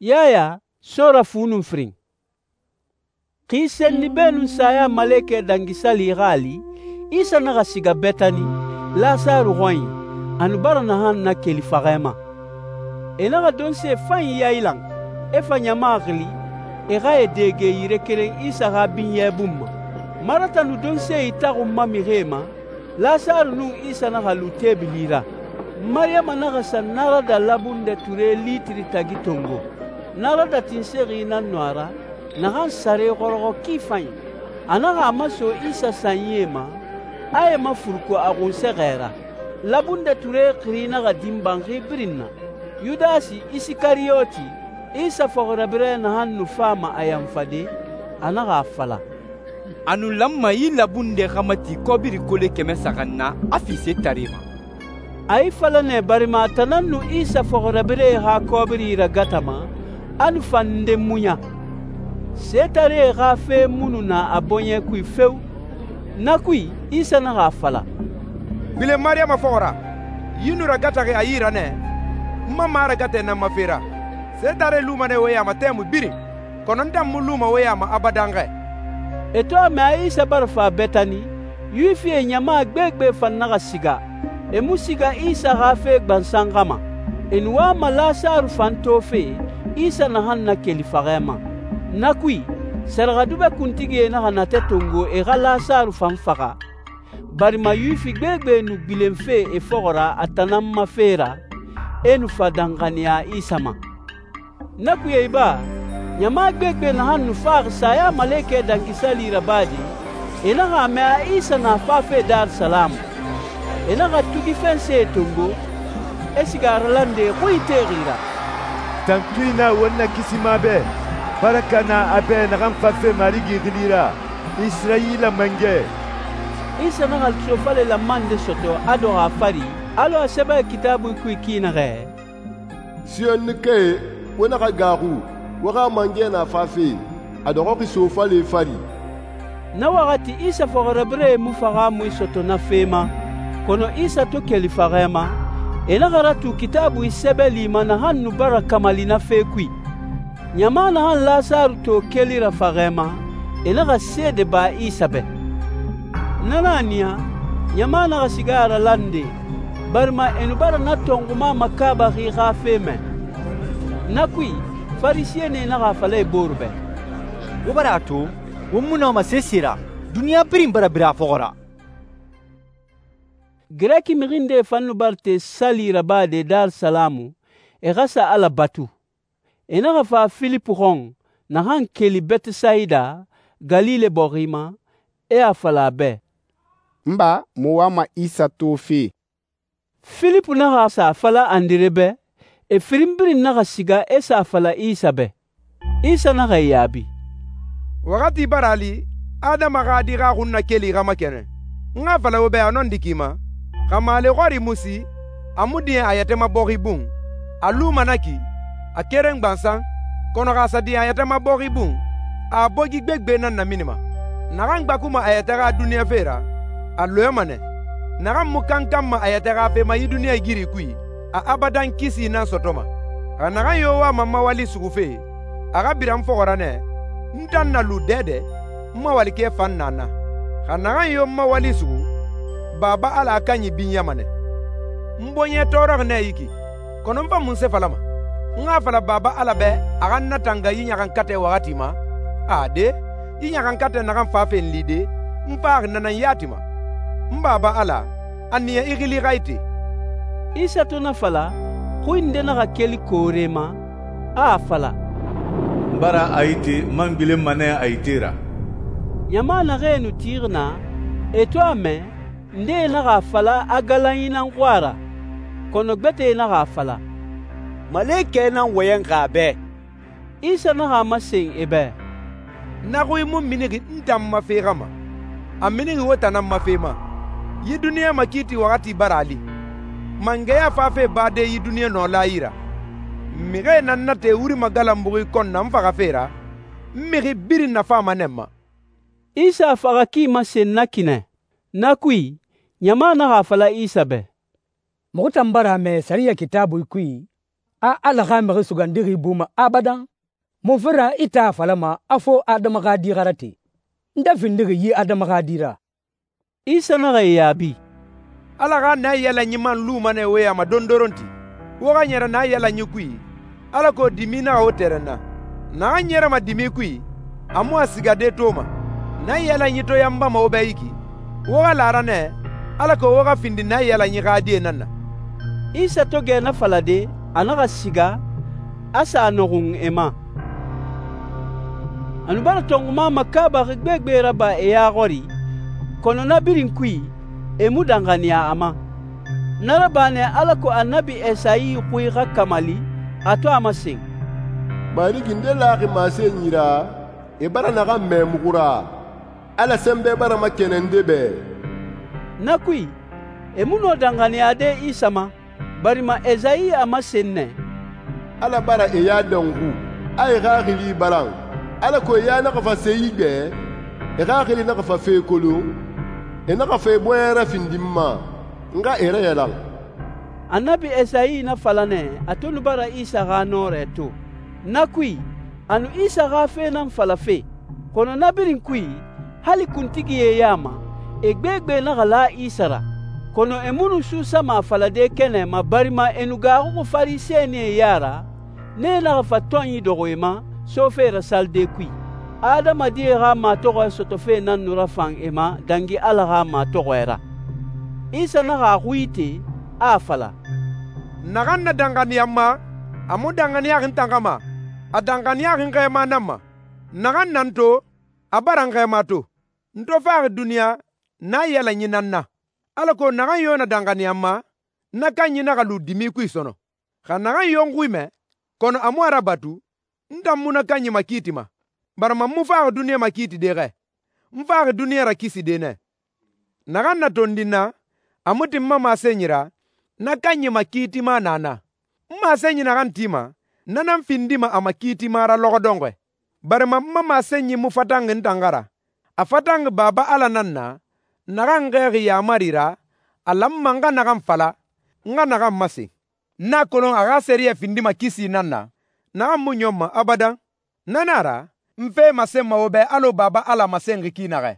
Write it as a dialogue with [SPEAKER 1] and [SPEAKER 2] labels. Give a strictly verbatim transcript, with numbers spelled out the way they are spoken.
[SPEAKER 1] Yaya sora fu nun firin. Xi senni beenun Sayamalekɛ Dangi Sali xa a li, Isa naxa siga Betani, Lasaru xɔnyi, a nu bara naxan nakeli faxɛ ma. E naxa donse fanyi yailan, e fa ɲama xili, e xa e dege yire keren Isa xa binyɛ bun ma. Marata nu donse itaxunma mixie ma, Lasaru nun Isa naxa lu teebili ra. Mariyama naxa sa narada labundɛ ture litiri tagi tongo. Narada tinsexi nan nu a ra, naxan sare xɔrɔxɔ ki fanyi. A naxa a maso Isa sanyie ma, a e mafuruku a xunsɛxɛ ra. Labundɛ ture xiri naxa din banxi birin na. Yudasi Isikariyoti, Isa fɔxirabirɛ naxan nu fama a yanfade, a naxa a fala,
[SPEAKER 2] a nu lanma yi labundɛ xa mati kɔbiri kole kɛmɛ saxan na a fi setare ma.
[SPEAKER 1] A yi fala nɛ barima a tan nan nu Isa fɔxirabirɛe xa kɔbiri ragatama, a nu fan nde muɲa. Setaree xa fe mu nu na a bɔɲɛ kui feo. Na kui, Isa naxa a fala,
[SPEAKER 3] gbilen Mariyama fɔxɔ ra, yi nu ragataxi a yi ra nɛ, n ma maragatɛ nan ma fe ra. Setare luma nɛ wo ya ma tɛmui birin, kɔnɔ n tan mu luma wo ya ma abadan xɛ.
[SPEAKER 1] E to a mɛ a Isa bara fa Betani, Yuwifie ɲama gbegbe fan naxa siga. E mu siga Isa xa fe gbansan xama. E nu wama Lasaru fan tofe, Isa naxan nakeli faxɛ ma. Na kui, sɛrɛxɛdubɛ kuntigie naxa natɛ tongo e xa Lasaru fan faxa, barima Yuwifi gbegbe nu gbilenfe e fɔxɔ ra a tan nan ma fe ra, e nu fa danxaniya Isa ma. Na kui e iba, ɲama gbegbe naxan nu faxi Sayamalekɛ Dangi Sali rabade, e naxa a mɛ a Isa na fafe Darisalamu. E naxa tugi fɛnse tongo, e siga a ralande xui texi ra.
[SPEAKER 4] Tantui na won na kisima bɛ, baraka na a bɛ naxan fafe Marigi xili ra, Isirayila mangɛ.
[SPEAKER 1] Isa naxa sofale lanman nde sɔtɔ a dɔxɔ a fari, alɔ a sɛbɛ Kitaabui kui ki naxɛ,
[SPEAKER 5] Siyɔnnikɛe, wo naxa gaaxu, wo xa mangɛ na fafe, a dɔxɔxi sofale fari.
[SPEAKER 1] Na waxati Isa fɔxirabirɛe mu faxamui sɔtɔ na fe ma, kɔnɔ Isa to keli faxɛ ma, e naxa ratu Kitaabui sɛbɛli ma naxan nu bara kamali na fe kui. Ɲama naxan Lasaru to kelira faxɛ ma, e naxa seede ba Isa bɛ. Na nan a niya, ɲama naxa siga a ralande, barima e nu bara na tɔnxuma makaabaxi xa fe mɛ. Na kui, Farisiyɛnie naxa a fala e booru bɛ,
[SPEAKER 6] wo bara a to, wo mu nɔma sese ra, duniɲa birin bara bira a fɔxɔ ra. Girɛki
[SPEAKER 1] mixi nde fan nu bara te sali rabade Darisalamu, e xa sa Ala batu. E naxa fa Filipu xɔn, naxan keli Betesayida, Galile bɔxi ma, e a fala a bɛ,
[SPEAKER 7] n ba, mu wama Isa tofe.
[SPEAKER 1] Filipu naxa sa a fala Andire bɛ, e firin birin naxa siga e sa a fala Isa bɛ. Isa naxa e yaabi,
[SPEAKER 3] waxati bara a li, Adama xa di xa xun nakeli xa makɛnɛ. N xa fala wo bɛ a nɔndi ki ma, xa maale xɔri mu si, a mu diɲɛ a yɛtɛ ma bɔxi bun, a luma na ki, a keren gbansan, kɔnɔ xa sa diɲɛ a yɛtɛ ma bɔxi bun, a bogi gbegbe nan naminima. Naxan gbakuma a yɛtɛ xa duniɲa fe ra, a lɔyɔma nɛ. Naxan mu kankanma a yɛtɛ xa fe ma yi duniɲa giri kui, a abadan kisi nan sɔtɔma. Xa naxan yo wama n mawali sugufe, a xa bira n fɔxɔ ra nɛ, n tan na lu dɛdɛ, n mawalikɛ fan na na. Xa naxan yo n mawali sugu, Baba Ala a kanyi binyama nɛ. N bɔɲɛ tɔɔrɔxi nɛ yi ki, kɔnɔ n fa munse falama? N xa fala Baba Ala bɛ a xa n natanga yi ɲaxankatɛ waxati ma? Ade, yi ɲaxankatɛ naxan fafe n lide, n faxi nanan yati ma. N Baba Ala, a niya i xili xa ite.
[SPEAKER 1] Isa to na fala, xui nde naxa keli koore ma, a a fala,
[SPEAKER 4] n bara a yite man gbilenma nɛ a yite ra.
[SPEAKER 1] Ɲama naxee nu tixi na, e to a mɛ, ndee naxa a fala a galanyi nan xɔ ra, kɔnɔ gbɛtɛe naxa a fala,
[SPEAKER 6] malekɛ nan wɔyɛnxi a bɛ.
[SPEAKER 1] Isa naxa a masen e bɛ,
[SPEAKER 3] Na xui mu minixi n tan ma fe xa ma, a minixi wo tan nan ma fe ma. Yi duniɲa makiiti waxati bara a li, mangɛya fafe bade yi duniɲa nɔla yi ra. Mixie nan na te wuri magalanbuxi kɔn na n faxa fe ra, n mixi birin nafama nɛ ma.
[SPEAKER 1] Isa a faxa ki masen na kinɛ. Na kui, ɲama naxa a fala Isa bɛ,
[SPEAKER 8] muxu tan bara a mɛ sariya Kitaabui kui, a Ala xa Mixi Sugandixi buma abadan? Munfe ra i tan a falama a fo Adama xa Di xa rate? Nde findixi yi Adama xa di ra?»
[SPEAKER 1] Isa naxa e yaabi,
[SPEAKER 3] «Ala xa naiyalanyi man luma nɛ wo ya ma dondoronti. Wo xa ɲɛrɛ naiyalanyi kui, alako dimi naxa wo tɛrɛnna. Naxan ɲɛrɛma dimi kui, a mu a sigade toma. Naiyalanyi to yanbama wo bɛ yi ki, wo xa la a ra nɛ, alako wo xa findi naiyalanyi xa die nan na.»
[SPEAKER 1] Isa to gɛ na falade, a naxa siga, a sa a nɔxun e ma. A nu bara tɔnxuma makaabaxi gbegbe raba e ya xɔri, kɔnɔ na birin kui, e mu danxaniya a ma. Na raba nɛ alako Annabi Esayi xui xa kamali, a to a masen:
[SPEAKER 5] «Marigi nde laxi masenyi ra, e bara naxan mɛ muxu ra, Ala sɛnbɛ bara makɛnɛn nde bɛ.»
[SPEAKER 1] Na kui, e mu nɔ danxaniyade Isa ma, barima Esayi a masen nɛ:
[SPEAKER 5] «Ala bara e ya dɔnxu, a e xaxili balan, alako e ya naxa fa se yi gbɛ, e xaxili naxa fa fe kolon, e naxa fa e bɔɲɛ rafindi n ma, n xa e rayalan.»
[SPEAKER 1] Annabi Esayi na fala nɛ a to nu bara Isa xa nɔrɛ to. Na kui, a nu Isa xa fe nan falafe, kɔnɔ na birin kui, hali kuntigie ya ma, e gbegbe naxa la Isa ra. Kɔnɔ e mu nu susama a falade kɛnɛ ma barima e nu gaaxuxi Farisɛnie ya ra, nee naxa fa tɔnyi dɔxɔ e ma sofe rasalide kui. Adamadie xa matɔxɔɛ sɔtɔfe nan nu rafan e ma dangi Ala xa matɔxɔɛ ra. Isa naxa a xui ite, a a fala:
[SPEAKER 3] «Naxan na danxaniya n ma, a mu danxaniyaxi n tan xa ma, a danxaniyaxi n xɛɛma nan ma. Naxan na n to, a bara n xɛɛma to. N to faxi duniya, naiyalanyi nan na. Alako naxan yo na danxaniya n ma, na kanyi naxa lu dimi kui sɔnɔ. Xa naxan yo n xui mɛ, kɔnɔ a mu a rabatu, n tan mu na kanyi makiitima, barima n mu faxi duniya makiitide xɛ. N faxi duniya rakiside nɛ. Naxan na tondi n na, a mu tin n ma masenyi ra, na kanyi makiitima na na. N masenyi naxan tima, na nan findima a makiitima ra lɔxɔ dɔnxɔɛ. Barima n ma masenyi mu fatanxi n tan xa ra. A fatanxi Baba Ala nan na, naxan xɛɛxi yaamari ra, a lanma n xa naxan fala, n xa naxan masen. N a kolon a xa sɛriyɛ findima kisi nan na, naxan mu ɲɔnma abadan. Na nan a ra, n fe masenma wo bɛ alɔ Baba Ala masenxi ki naxɛ.»